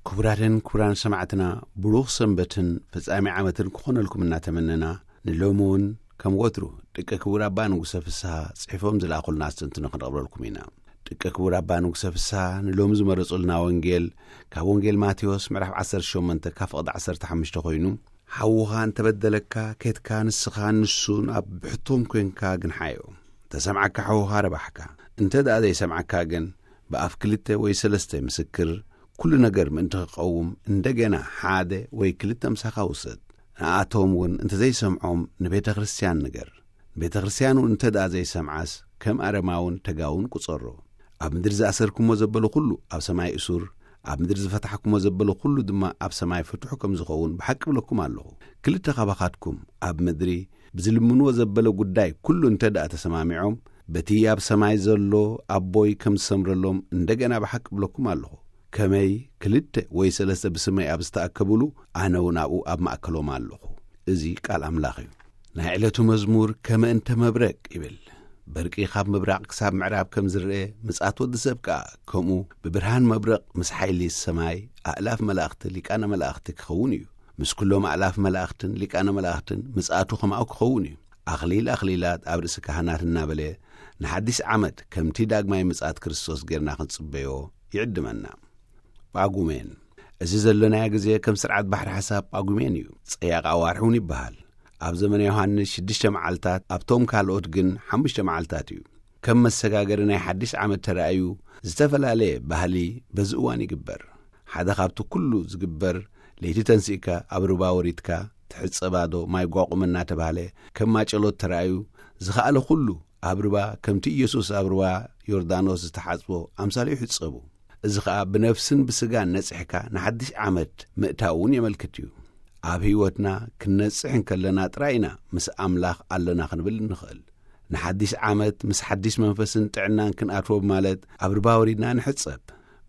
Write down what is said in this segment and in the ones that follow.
ክቡራትን ክቡራን ሰማዕትና፣ ብሩኽ ሰንበትን ፍጻሜ ዓመትን ክኾነልኩም እናተመነና፣ ንሎሚ እውን ከም ወትሩ ደቂ ክቡር ኣባ ንጉሰ ፍስሃ ጽሒፎም ዝለኣኹልና ኣስተንትኖ ክንቕርበልኩም ኢና። ደቂ ክቡር ኣባ ንጉሰ ፍስሃ ንሎሚ ዝመረጹልና ወንጌል ካብ ወንጌል ማቴዎስ ምዕራፍ ዓሰርተ ሸሞንተ ካብ ፍቕዲ ዓሰርተ ሓሙሽተ ኮይኑ፣ "ሓውኻ እንተበደለካ፣ ኬድካ ንስኻ ንሱን ኣብ ብሕቶም ኮንካ ግንሓዮ። እንተሰምዓካ ሓውኻ ረባሕካ። እንተ ደኣ ዘይሰምዓካ ግን፣ ብኣፍ ክልተ ወይ ሰለስተ ምስክር ኩሉ ነገር ምእንቲ ክቐውም፣ እንደገና ሓደ ወይ ክልተ ምሳኻ ውሰድ። ንኣቶም እውን እንተ ዘይሰምዖም ንቤተ ክርስቲያን ንገር። ቤተ ክርስቲያን እውን እንተ ደኣ ዘይሰምዓስ፣ ከም ኣረማውን ተጋውን ቁጸሮ። ኣብ ምድሪ ዝኣሰርኩሞ ዘበለ ኩሉ ኣብ ሰማይ እሱር፣ ኣብ ምድሪ ዝፈታሕኩሞ ዘበለ ኩሉ ድማ ኣብ ሰማይ ፍቱሕ ከም ዝኸውን ብሓቂ እብለኩም ኣለኹ። ክልተ ካባኻትኩም ኣብ ምድሪ ብዝልምንዎ ዘበለ ጉዳይ ኩሉ እንተ ደኣ ተሰማሚዖም፣ በቲ ኣብ ሰማይ ዘሎ ኣቦይ ከም ዝሰምረሎም እንደገና ብሓቂ እብለኩም ኣለኹ። ከመይ ክልተ ወይ ሰለስተ ብስመይ ኣብ ዝተኣከብሉ፣ ኣነ እውን ኣብኡ ኣብ ማእከሎም ኣለኹ።" እዚ ቃል ኣምላኽ እዩ። ናይ ዕለቱ መዝሙር ከመ እንተ መብረቕ ይብል። በርቂ ካብ ምብራቕ ክሳብ ምዕራብ ከም ዝረአ፣ ምጽኣት ወዲ ሰብ ከኣ ከምኡ ብብርሃን መብረቕ ምስ ሓይሊ ሰማይ ኣእላፍ መላእኽቲ ሊቃነ መላእኽቲ ክኸውን እዩ። ምስ ኩሎም ኣእላፍ መላእኽትን ሊቃነ መላእኽትን ምጽኣቱ ከምኡ ክኸውን እዩ። ኣኽሊል ኣኽሊላት ኣብ ርእሲ ካህናት እናበለ፣ ንሓድሽ ዓመት ከምቲ ዳግማይ ምጽኣት ክርስቶስ ጌርና ክንጽበዮ ይዕድመና። ጳጉሜን። እዚ ዘለናዮ ግዜ ከም ስርዓት ባሕሪ ሓሳብ ጳጉሜን እዩ። ጸያቕ ኣዋርሕ እውን ይበሃል። ኣብ ዘመነ ዮሃንስ ሽዱሽተ መዓልታት፣ ኣብቶም ካልኦት ግን ሓሙሽተ መዓልታት እዩ። ከም መሰጋገሪ ናይ ሓድሽ ዓመት ተራእዩ፣ ዝተፈላለየ ባህሊ በዚ እዋን ይግበር። ሓደ ካብቲ ኩሉ ዝግበር፣ ለይቲ ተንሲእካ ኣብ ሩባ ወሪድካ፣ ትሕጸባ ዶ ማይ ጓቑም እናተባህለ ከም ማጨሎት ተራእዩ፣ ዝኸኣለ ኩሉ ኣብ ሩባ ከምቲ ኢየሱስ ኣብ ሩባ ዮርዳኖስ ዝተሓጽቦ ኣምሳሉ ይሕጸቡ። እዚ ኸኣ ብነፍስን ብስጋን ነጺሕካ ንሓድሽ ዓመት ምእታው እውን የመልክት እዩ። ኣብ ህይወትና ክንነጽሕ እንከለና ጥራይ ኢና ምስ ኣምላኽ ኣለና ክንብል እንኽእል። ንሓድሽ ዓመት ምስ ሓድሽ መንፈስን ጥዕናን ክንኣትዎ ማለት ኣብ ሩባ ወሪድና ንሕጸብ።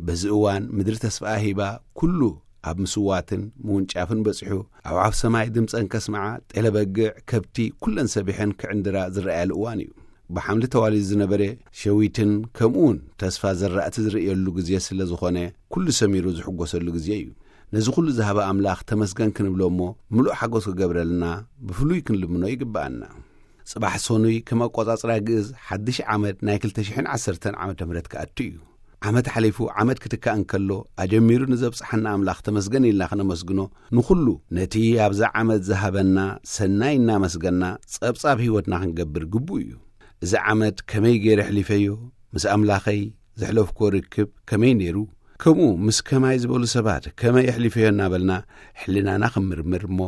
በዚ እዋን ምድሪ ተስፋኣ ሂባ፣ ኩሉ ኣብ ምስዋትን ምውንጫፍን በጺሑ፣ ኣዕዋፍ ሰማይ ድምጸን ከስምዓ፣ ጤለ በግዕ፣ ከብቲ፣ ኩለን ሰቢሐን ክዕንድራ ዝረኣያሉ እዋን እዩ። ብሓምሊ ተዋሊዱ ዝነበረ ሸዊትን ከምኡውን ተስፋ ዘራእቲ ዝርእየሉ ግዜ ስለ ዝኾነ፣ ኩሉ ሰሚሩ ዝሕጎሰሉ ግዜ እዩ። ነዚ ኩሉ ዝሃበ ኣምላኽ ተመስገን ክንብሎ እሞ፣ ምሉእ ሓጎስ ክገብረልና ብፍሉይ ክንልምኖ ይግብኣና። ጽባሕ ሰኑይ ከም ኣቆጻጽራ ግእዝ ሓድሽ ዓመት ናይ ክልተ ሽሕን ዓሰርተን ዓመተ ምህረት ክኣቱ እዩ። ዓመት ሓሊፉ ዓመት ክትካእ እንከሎ፣ ኣጀሚሩ ንዘብጽሓና ኣምላኽ ተመስገን ኢልና ክነመስግኖ፣ ንኹሉ ነቲ ኣብዛ ዓመት ዝሃበና ሰናይ እናመስገና ጸብጻብ ህይወትና ክንገብር ግቡእ እዩ። እዚ ዓመት ከመይ ገይረ ኣሕሊፈዮ? ምስ ኣምላኸይ ዘሕለፍኩዎ ርክብ ከመይ ነይሩ? ከምኡ ምስ ከማይ ዝበሉ ሰባት ከመይ ኣሕሊፈዮ እናበልና ሕልናና ክንምርምር እሞ፣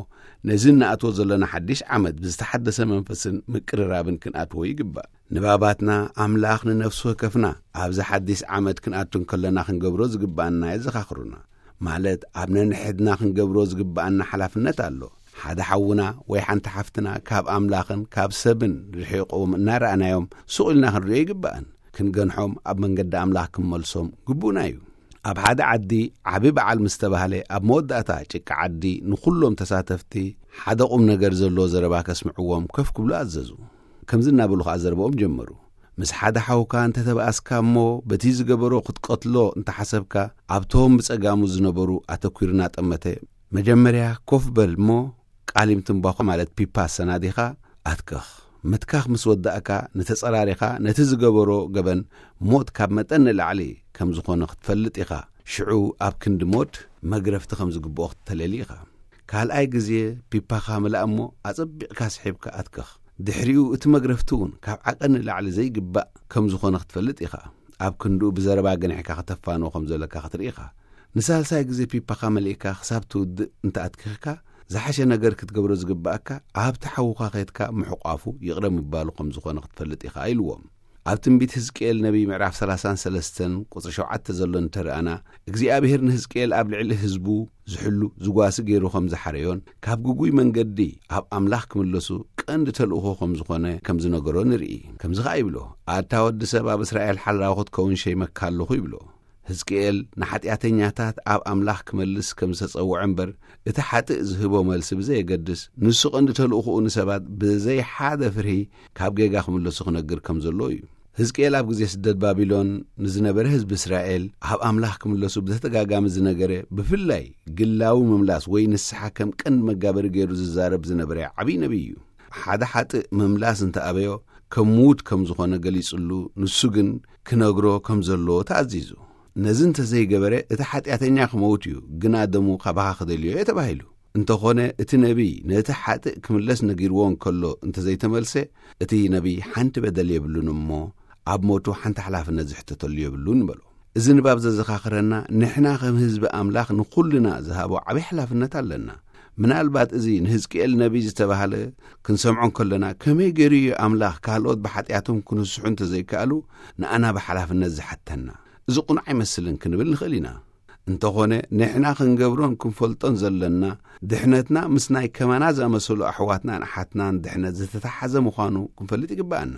ነዚ እንኣትዎ ዘለና ሓድሽ ዓመት ብዝተሓደሰ መንፈስን ምቅርራብን ክንኣትዎ ይግባእ። ንባባትና ኣምላኽ ንነፍሲ ወከፍና ኣብዚ ሓድሽ ዓመት ክንኣቱ እንከለና ክንገብሮ ዝግብኣና የዘኻኽሩና። ማለት ኣብ ነንሕድና ክንገብሮ ዝግብኣና ሓላፍነት ኣሎ። ሓደ ሓውና ወይ ሓንቲ ሓፍትና ካብ ኣምላኽን ካብ ሰብን ርሒቖም እናረኣናዮም ሱቕ ኢልና ክንሪኦ ይግብኣን። ክንገንሖም ኣብ መንገዲ ኣምላኽ ክንመልሶም ግቡእና እዩ። ኣብ ሓደ ዓዲ ዓቢ በዓል ምስ ተባህለ፣ ኣብ መወዳእታ ጭቃ ዓዲ ንኹሎም ተሳተፍቲ ሓደ ቁም ነገር ዘለዎ ዘረባ ከስምዕዎም ከፍ ክብሉ ኣዘዙ። ከምዚ እናበሉ ኸኣ ዘረባኦም ጀመሩ። "ምስ ሓደ ሓውካ እንተ ተባኣስካ እሞ በቲ ዝገበሮ ክትቀትሎ እንተ ሓሰብካ፣ ኣብቶም ብጸጋሙ ዝነበሩ ኣተኲሩ እናጠመተ፣ 'መጀመርያ ኮፍ በል እሞ ቃሊም ትምባኾ ማለት ፒፓ ኣሰናዲኻ ኣትክኽ። ምትካኽ ምስ ወዳእካ፣ ንተጸራሪኻ ነቲ ዝገበሮ ገበን ሞት ካብ መጠን ንላዕሊ ከም ዝኾነ ክትፈልጥ ኢኻ። ሽዑ ኣብ ክንዲ ሞት መግረፍቲ ከም ዝግብኦ ክትተለሊ ኢኻ። ካልኣይ ግዜ ፒፓኻ ምላእ እሞ ኣጸቢቕካ ስሒብካ ኣትክኽ። ድሕሪኡ እቲ መግረፍቲ እውን ካብ ዓቐን ንላዕሊ ዘይግባእ ከም ዝኾነ ክትፈልጥ ኢኻ። ኣብ ክንድኡ ብዘረባ ገኒሕካ ከተፋንዎ ከም ዘለካ ክትርኢ ኢኻ። ንሳልሳይ ግዜ ፒፓኻ መሊእካ ክሳብ ትውድእ እንተ ኣትኪኽካ፣ ዝሓሸ ነገር ክትገብሮ ዝግብኣካ፣ ኣብቲ ሓውኻ ኸይድካ ምሕቋፉ፣ ይቕረ ምባሉ ከም ዝኾነ ክትፈልጥ ኢኻ" ኢልዎም። ኣብ ትንቢት ህዝቅኤል ነቢይ ምዕራፍ ሰላሳን ሰለስተን ቁጽሪ ሸውዓተ ዘሎ እንተረኣና፣ እግዚኣብሔር ንህዝቅኤል ኣብ ልዕሊ ህዝቡ ዝሕሉ ዝጓሲ ገይሩ ከም ዝሓረዮን፣ ካብ ግጉይ መንገዲ ኣብ ኣምላኽ ክምለሱ ቀንዲ ተልእኾ ከም ዝኾነ ከም ዝነገሮ ንርኢ። ከምዚ ኸኣ ይብሎ፣ "ኣታ ወዲ ሰብ፣ ኣብ እስራኤል ሓላዊ ክትከውን ሸይመካ ኣለኹ" ይብሎ። ህዝቅኤል ንሓጢኣተኛታት ኣብ ኣምላኽ ክመልስ ከም ዝተጸውዐ እምበር፣ እቲ ሓጥእ ዝህቦ መልሲ ብዘየገድስ፣ ንሱ ቀንዲ ተልእኾኡ ንሰባት ብዘይ ሓደ ፍርሂ ካብ ጌጋ ክምለሱ ክነግር ከም ዘለዎ እዩ። ህዝቅኤል ኣብ ግዜ ስደት ባቢሎን ንዝነበረ ህዝቢ እስራኤል ኣብ ኣምላኽ ክምለሱ ብተደጋጋሚ ዝነገረ፣ ብፍላይ ግላዊ ምምላስ ወይ ንስሓ ከም ቀንዲ መጋበሪ ገይሩ ዝዛረብ ዝነበረ ዓብዪ ነቢይ እዩ። ሓደ ሓጥእ ምምላስ እንተኣበዮ ከም ምዉት ከም ዝኾነ ገሊጽሉ፣ ንሱ ግን ክነግሮ ከም ዘለዎ ተኣዚዙ። ነዚ እንተዘይገበረ እቲ ሓጢኣተኛ ክመውት እዩ፣ ግና ደሙ ካባኻ ክደልዮ እየ ተባሂሉ። እንተኾነ እቲ ነቢይ ነቲ ሓጥእ ክምለስ ነጊርዎ እንከሎ እንተዘይተመልሰ፣ እቲ ነቢይ ሓንቲ በደል የብሉን እሞ ኣብ ሞቱ ሓንቲ ሓላፍነት ዝሕተተሉ የብሉን በሎ። እዚ ንባብ ዘዘኻኽረና፣ ንሕና ከም ህዝቢ ኣምላኽ ንኹልና ዝሃቦ ዓብዪ ሓላፍነት ኣለና። ምናልባት እዚ ንህዝቅኤል ነቢይ ዝተባህለ ክንሰምዖ እንከለና፣ ከመይ ገይሩ እዩ ኣምላኽ ካልኦት ብሓጢኣቶም ክንስሑ እንተዘይከኣሉ ንኣና ብሓላፍነት ዝሓተና? እዚ ቁኑዕ ኣይመስልን ክንብል ንኽእል ኢና። እንተኾነ ንሕና ክንገብሮን ክንፈልጦን ዘለና፣ ድሕነትና ምስ ናይ ከማና ዝኣመሰሉ ኣሕዋትናን ኣሓትናን ድሕነት ዝተተሓዘ ምዃኑ ክንፈልጥ ይግብኣና።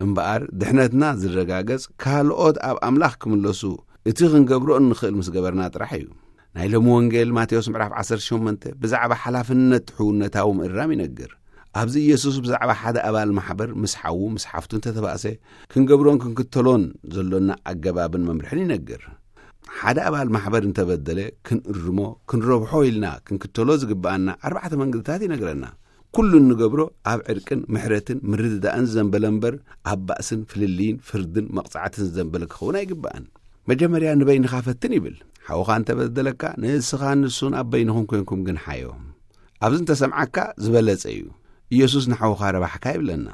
እምበኣር ድሕነትና ዝረጋገጽ ካልኦት ኣብ ኣምላኽ ክምለሱ እቲ ክንገብሮ እንኽእል ምስ ገበርና ጥራሕ እዩ። ናይ ሎሚ ወንጌል ማቴዎስ ምዕራፍ ዓሰርተ ሸሞንተ ብዛዕባ ሓላፍነት ሕውነታዊ ምእራም ይነግር። ኣብዚ ኢየሱስ ብዛዕባ ሓደ ኣባል ማሕበር ምስ ሓዉ ምስ ሓፍቱ እንተተባእሰ ክንገብሮን ክንክተሎን ዘሎና ኣገባብን መምርሕን ይነግር። ሓደ ኣባል ማሕበር እንተበደለ ክንእርሞ፣ ክንረብሖ ኢልና ክንክተሎ ዝግብኣና ኣርባዕተ መንገድታት ይነግረና። ኩሉ እንገብሮ ኣብ ዕርቅን ምሕረትን ምርድዳእን ዘንበለ እምበር ኣብ ባእስን ፍልልይን ፍርድን መቕጻዕትን ዘንበለ ክኸውን ኣይግባእን። መጀመርያ ንበይንኻ ፈትን ይብል። ሓውኻ እንተበደለካ ንስኻን ንሱን ኣብ በይንኹም ኮንኩም ግን ሓዮ። ኣብዚ እንተሰምዓካ ዝበለጸ እዩ። ኢየሱስ ንሓውኻ ረባሕካ ይብለና።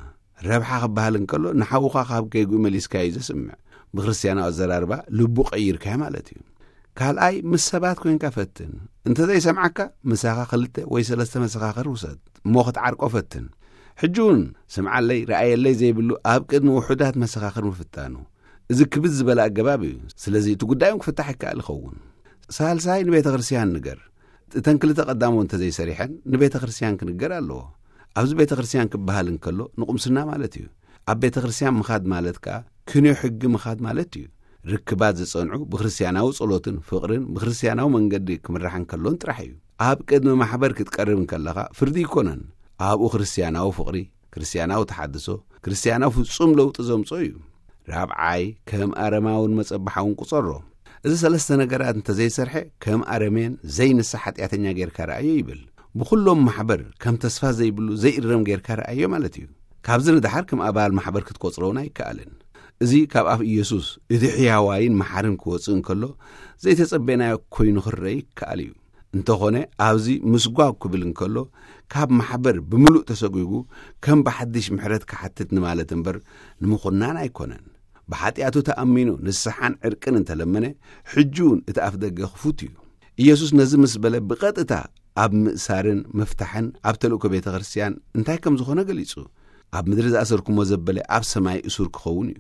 ረብሓ ክበሃል እንከሎ ንሓውኻ ካብ ጌግኡ መሊስካዮ እዩ ዘስምዕ። ብክርስትያናዊ ኣዘራርባ ልቡ ቀይርካዮ ማለት እዩ። ካልኣይ ምስ ሰባት ኮንካ ፈትን። እንተዘይሰምዓካ ምሳኻ ክልተ ወይ ሰለስተ መሰኻኽር ውሰድ እሞ ክትዓርቆ ፈትን። ሕጂ እውን ስምዓለይ ረኣየለይ ዘይብሉ ኣብ ቅድሚ ውሑዳት መሰኻኽር ምፍታኑ፣ እዚ ክብድ ዝበለ ኣገባብ እዩ። ስለዚ እቲ ጉዳዮም ክፍታሕ ይከኣል ይኸውን። ሳልሳይ ንቤተ ክርስቲያን ንገር። እተን ክልተ ቀዳሞ እንተዘይሰሪሐን ንቤተ ክርስቲያን ክንገር ኣለዎ። ኣብዚ ቤተ ክርስቲያን ክበሃል እንከሎ ንቁምስና ማለት እዩ። ኣብ ቤተ ክርስቲያን ምኻድ ማለት ከኣ ክንዮ ሕጊ ምኻድ ማለት እዩ። ርክባት ዝጸንዑ ብክርስቲያናዊ ጸሎትን ፍቕርን ብክርስቲያናዊ መንገዲ ክምራሕ እንከሎን ጥራሕ እዩ። ኣብ ቅድሚ ማሕበር ክትቀርብ እንከለኻ ፍርዲ ይኮነን። ኣብኡ ክርስቲያናዊ ፍቕሪ፣ ክርስቲያናዊ ተሓድሶ፣ ክርስቲያናዊ ፍጹም ለውጢ ዘምጾ እዩ። ራብዓይ ከም ኣረማውን መጸባሓውን ቁጸሮ። እዚ ሰለስተ ነገራት እንተዘይሰርሐ ከም ኣረሜን ዘይንስሕ ሓጢኣተኛ ጌርካ ረኣዮ ይብል። ብኹሎም ማሕበር ከም ተስፋ ዘይብሉ ዘይእረም ጌርካ ረኣዮ ማለት እዩ። ካብዚ ንድሓር ከም ኣባል ማሕበር ክትቆጽሮ እውን ኣይከኣልን። እዚ ካብ ኣፍ ኢየሱስ እቲ ሕያዋይን መሓርን ክወጽእ እንከሎ ዘይተጸበናዮ ኮይኑ ክረአ ይከኣል እዩ። እንተኾነ ኣብዚ ምስጓግ ክብል እንከሎ ካብ ማሕበር ብምሉእ ተሰጒጉ ከም ብሓድሽ ምሕረት ክሓትት ንማለት እምበር ንምኹናን ኣይኮነን። ብሓጢኣቱ ተኣሚኑ ንስሓን ዕርቅን እንተለመነ ሕጂ እውን እቲ ኣፍ ደገ ክፉት እዩ። ኢየሱስ ነዚ ምስ በለ ብቐጥታ ኣብ ምእሳርን ምፍታሕን ኣብ ተልእኮ ቤተ ክርስቲያን እንታይ ከም ዝኾነ ገሊጹ። ኣብ ምድሪ ዝኣሰርኩሞ ዘበለ ኣብ ሰማይ እሱር ክኸውን እዩ።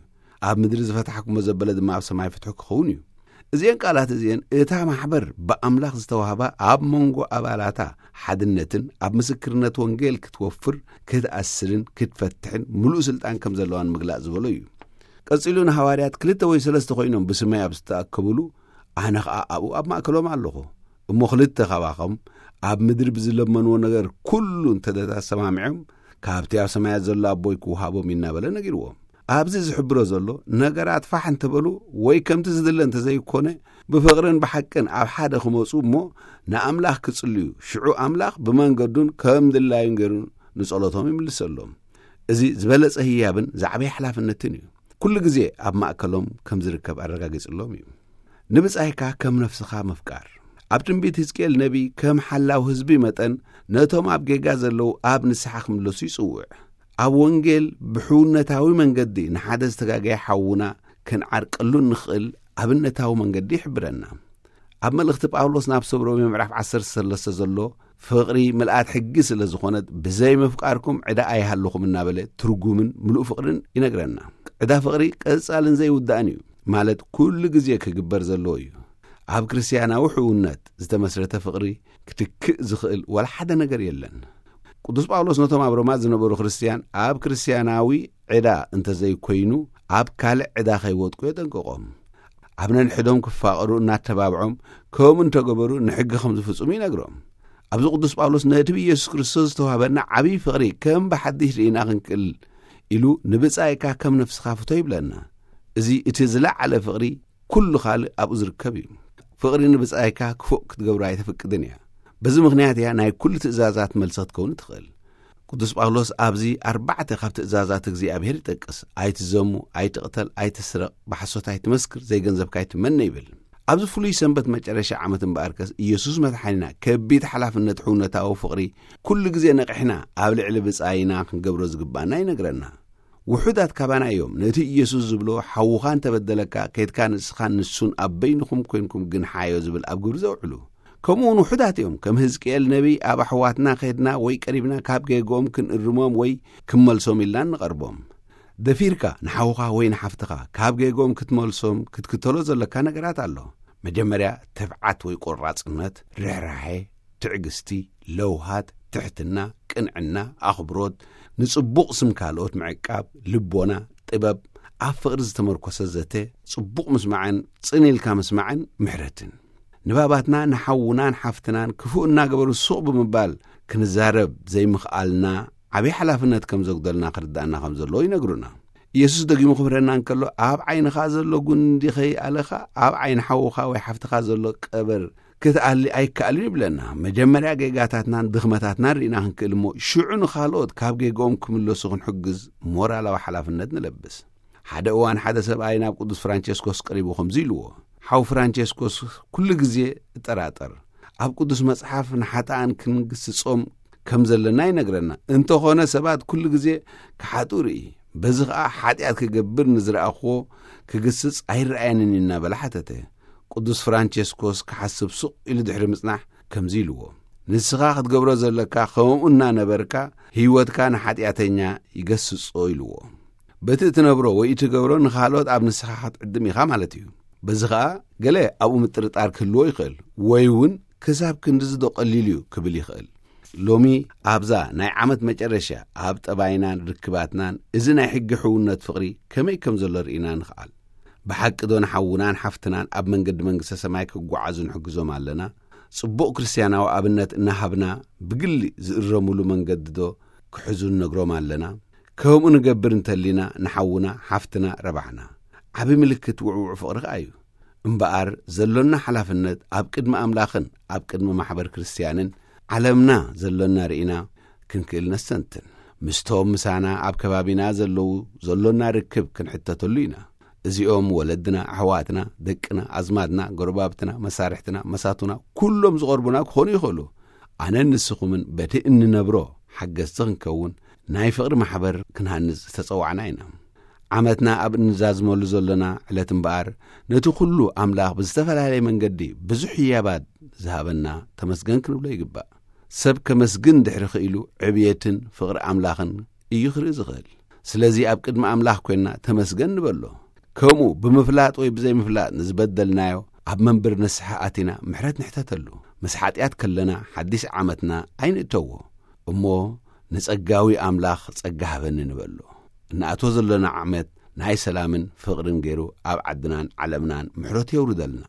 ኣብ ምድሪ ዝፈታሕኩሞ ዘበለ ድማ ኣብ ሰማይ ፍትሑ ክኸውን እዩ። እዚአን ቃላት እዚአን እታ ማሕበር ብኣምላኽ ዝተዋህባ ኣብ መንጎ ኣባላታ ሓድነትን ኣብ ምስክርነት ወንጌል ክትወፍር ክትኣስርን ክትፈትሕን ምሉእ ስልጣን ከም ዘለዋን ምግላጽ ዝበሎ እዩ። ቀጺሉ ንሃዋርያት ክልተ ወይ ሰለስተ ኮይኖም ብስመይ ኣብ ዝተኣከብሉ ኣነ ኸኣ ኣብኡ ኣብ ማእከሎም ኣለኹ። እሞ ክልተ ካባኹም ኣብ ምድሪ ብዝለመንዎ ነገር ኩሉ እንተ ተሰማሚዖም ካብቲ ኣብ ሰማያት ዘሎ ኣቦይ ክወሃቦም እዩ እናበለ ነጊርዎም። ኣብዚ ዝሕብሮ ዘሎ ነገራት ፋሕ እንተበሉ ወይ ከምቲ ዝድለ እንተዘይኮነ ብፍቕርን ብሓቅን ኣብ ሓደ ክመፁ እሞ ንኣምላኽ ክጽልዩ ሽዑ ኣምላኽ ብመንገዱን ከም ድላዩን ገይሩ ንጸሎቶም ይምልሰሎም። እዚ ዝበለጸ ህያብን ዝዓበየ ሓላፍነትን እዩ። ኩሉ ግዜ ኣብ ማእከሎም ከም ዝርከብ ኣረጋጊጽሎም እዩ። ንብጻይካ ከም ነፍስኻ ምፍቃር። ኣብ ትንቢት ህዝቅኤል ነቢይ ከም ሓላው ህዝቢ መጠን ነቶም ኣብ ጌጋ ዘለዉ ኣብ ንስሓ ክምለሱ ይጽውዕ። ኣብ ወንጌል ብሕውነታዊ መንገዲ ንሓደ ዝተጋገየ ሓውና ክንዓርቀሉ እንኽእል ኣብነታዊ መንገዲ ይሕብረና። ኣብ መልእኽቲ ጳውሎስ ናብ ሰብ ሮሜ ምዕራፍ ዓሰርተ ሰለስተ ዘሎ ፍቕሪ ምልኣት ሕጊ ስለ ዝኾነት ብዘይ ምፍቃርኩም ዕዳ ኣይሃልኹም እናበለ ትርጉምን ምሉእ ፍቕርን ይነግረና። ዕዳ ፍቕሪ ቀጻልን ዘይውዳእን እዩ፣ ማለት ኩሉ ግዜ ክግበር ዘለዎ እዩ። ኣብ ክርስትያናዊ ሕውነት ዝተመስረተ ፍቕሪ ክትክእ ዝኽእል ዋላ ሓደ ነገር የለን። ቅዱስ ጳውሎስ ነቶም ኣብ ሮማ ዝነበሩ ክርስትያን ኣብ ክርስትያናዊ ዕዳ እንተዘይኮይኑ ኣብ ካልእ ዕዳ ከይወድቁ የጠንቅቖም። ኣብ ነንሕዶም ክፋቐሩ እናተባብዖም ከምኡ እንተገበሩ ንሕጊ ከም ዝፍጽሙ ይነግሮም። ኣብዚ ቅዱስ ጳውሎስ ነቲ ብኢየሱስ ክርስቶስ ዝተዋህበና ዓብዪ ፍቕሪ ከም ብሓድሽ ርኢና ክንክእል ኢሉ ንብጻይካ ከም ነፍስኻ ፍቶ ይብለና። እዚ እቲ ዝለዓለ ፍቕሪ፣ ኩሉ ካልእ ኣብኡ ዝርከብ እዩ። ፍቕሪ ንብጻይካ ክፉእ ክትገብሮ ኣይተፍቅድን እያ። በዚ ምኽንያት እያ ናይ ኩሉ ትእዛዛት መልሲ ክትከውን ትኽእል። ቅዱስ ጳውሎስ ኣብዚ ኣርባዕተ ካብ ትእዛዛት እግዚኣብሔር ይጠቅስ። ኣይትዘሙ፣ ኣይትቕተል፣ ኣይትስረቕ፣ ብሓሶት ኣይትመስክር፣ ዘይገንዘብካ ኣይትመነ ይብል። ኣብዚ ፍሉይ ሰንበት መጨረሻ ዓመት እምበኣርከስ ኢየሱስ መድሓኒና ከቢድ ሓላፍነት ሕውነታዊ ፍቕሪ ኩሉ ግዜ ነቒሕና ኣብ ልዕሊ ብጻይና ክንገብሮ ዝግባና ይነግረና። ውሑዳት ካባና እዮም ነቲ ኢየሱስ ዝብሎ ሓውኻ እንተበደለካ ከይድካ ንስኻን ንሱን ኣብ በይንኹም ኮይንኩም ግን ሓዮ ዝብል ኣብ ግብሪ ዘውዕሉ። ከምኡ እውን ውሑዳት እዮም ከም ህዝቅኤል ነቢይ ኣብ ኣሕዋትና ከይድና ወይ ቀሪብና ካብ ጌግኦም ክንእርሞም ወይ ክንመልሶም ኢልና እንቐርቦም። ደፊርካ ንሓውኻ ወይ ንሓፍትኻ ካብ ጌግኦም ክትመልሶም ክትክተሎ ዘለካ ነገራት ኣሎ። መጀመርያ ትብዓት ወይ ቆራጽነት፣ ርሕራሄ፣ ትዕግስቲ፣ ለውሃት፣ ትሕትና፣ ቅንዕና፣ ኣኽብሮት፣ ንጽቡቕ ስም ካልኦት ምዕቃብ፣ ልቦና፣ ጥበብ፣ ኣብ ፍቕሪ ዝተመርኮሰ ዘተ፣ ጽቡቕ ምስማዕን ጽን ኢልካ ምስማዕን ምሕረትን። ንባባትና ንሓውናን ሓፍትናን ክፉእ እናገበሩ ሱቕ ብምባል ክንዛረብ ዘይምኽኣልና ዓብዪ ሓላፍነት ከም ዘጉደልና ክርዳእና ከም ዘለዎ ይነግሩና። ኢየሱስ ደጊሙ ክምህረና እንከሎ፣ ኣብ ዓይንኻ ዘሎ ጉንዲ ከይኣለኻ ኣብ ዓይኒ ሓውኻ ወይ ሓፍትኻ ዘሎ ቀበር ክትኣሊ ኣይከኣልን ይብለና። መጀመርያ ጌጋታትናን ድኽመታትናን ርኢና ክንክእል እሞ፣ ሽዑ ንኻልኦት ካብ ጌግኦም ክምለሱ ክንሕግዝ ሞራላዊ ሓላፍነት ንለብስ። ሓደ እዋን ሓደ ሰብኣይ ናብ ቅዱስ ፍራንቸስኮስ ቀሪቡ ከምዚ ኢልዎ፣ ሓው ፍራንቸስኮስ፣ ኩሉ ግዜ እጠራጠር። ኣብ ቅዱስ መጽሓፍ ንሓጥኣን ክንግስጾም ከም ዘለና ይነግረና። እንተኾነ ሰባት ኩሉ ግዜ ክሓጡ ርኢ። በዚ ኸኣ ሓጢኣት ክገብር ንዝረኣኽዎ ክግስጽ ኣይረኣየንን እዩ እናበለ ሓተተ። ቅዱስ ፍራንቸስኮስ ክሓስብ ሱቕ ኢሉ ድሕሪ ምጽናሕ ከምዚ ኢልዎ፣ ንስኻ ክትገብሮ ዘለካ ከምኡ እናነበርካ ህይወትካ ንሓጢኣተኛ ይገስጾ ኢልዎ። በቲ እትነብሮ ወይ እትገብሮ ንኻልኦት ኣብ ንስኻ ክትዕድም ኢኻ ማለት እዩ። በዚ ኸኣ ገለ ኣብኡ ምጥርጣር ክህልዎ ይኽእል፣ ወይ እውን ክሳብ ክንድዚ ዶ ቀሊል እዩ ክብል ይኽእል። ሎሚ ኣብዛ ናይ ዓመት መጨረሻ ኣብ ጠባይናን ርክባትናን እዚ ናይ ሕጊ ሕውነት ፍቕሪ ከመይ ከም ዘሎ ርኢና ንኽኣል። ብሓቂ ዶ ንሓውናን ሓፍትናን ኣብ መንገዲ መንግስተ ሰማይ ክጓዓዙ ንሕግዞም ኣለና? ጽቡቕ ክርስትያናዊ ኣብነት እናሃብና ብግሊ ዝእረሙሉ መንገዲ ዶ ክሕዙ ንነግሮም ኣለና? ከምኡ ንገብር እንተሊና ንሓውና ሓፍትና ረባሕና። ዓቢ ምልክት ውዕውዕ ፍቕሪ ከኣ እዩ። እምበኣር ዘሎና ሓላፍነት ኣብ ቅድሚ ኣምላኽን ኣብ ቅድሚ ማሕበር ክርስትያንን ዓለምና ዘሎና ርኢና ክንክእል ነስተንትን። ምስቶም ምሳና ኣብ ከባቢና ዘለዉ ዘሎና ርክብ ክንሕተተሉ ኢና። እዚኦም ወለድና፣ ኣሕዋትና፣ ደቅና፣ ኣዝማድና፣ ጎረባብትና፣ መሳርሕትና፣ መሳቱና፣ ኩሎም ዝቐርቡና ክኾኑ ይኽእሉ። ኣነን ንስኹምን በቲ እንነብሮ ሓገዝቲ ክንከውን ናይ ፍቕሪ ማሕበር ክንሃንጽ ዝተጸዋዕና ኢና። ዓመትና ኣብ እንዛዝመሉ ዘሎና ዕለት እምበኣር ነቲ ኩሉ ኣምላኽ ብዝተፈላለየ መንገዲ ብዙሕ ህያባት ዝሃበና ተመስገን ክንብሎ ይግባእ። ሰብ ከመስግን ድሕሪ ክኢሉ ዕብየትን ፍቕሪ ኣምላኽን እዩ ክርኢ ዝኽእል። ስለዚ ኣብ ቅድሚ ኣምላኽ ኮይንና ተመስገን ንበሎ። ከምኡ ብምፍላጥ ወይ ብዘይምፍላጥ ንዝበደልናዮ ኣብ መንብር ንስሓ ኣቲና ምሕረት ንሕተተሉ። ምስ ሓጢኣት ከለና ሓዲስ ዓመትና ኣይንእተዎ እሞ ንጸጋዊ ኣምላኽ ጸጋ ሃበኒ ንበሎ። እንኣቶ ዘሎና ዓመት ናይ ሰላምን ፍቕርን ገይሩ ኣብ ዓድናን ዓለምናን ምሕረቱ የውርደልና።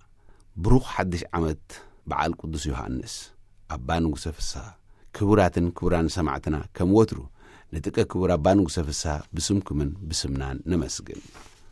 ብሩኽ ሓድሽ ዓመት በዓል ቅዱስ ዮሃንስ። ኣባ ንጉሰ ፍስሃ። ክቡራትን ክቡራን ሰማዕትና፣ ከም ወትሩ ንጥቀ ክቡር ኣባ ንጉሰ ፍስሃ ብስምኩምን ብስምናን ነመስግን።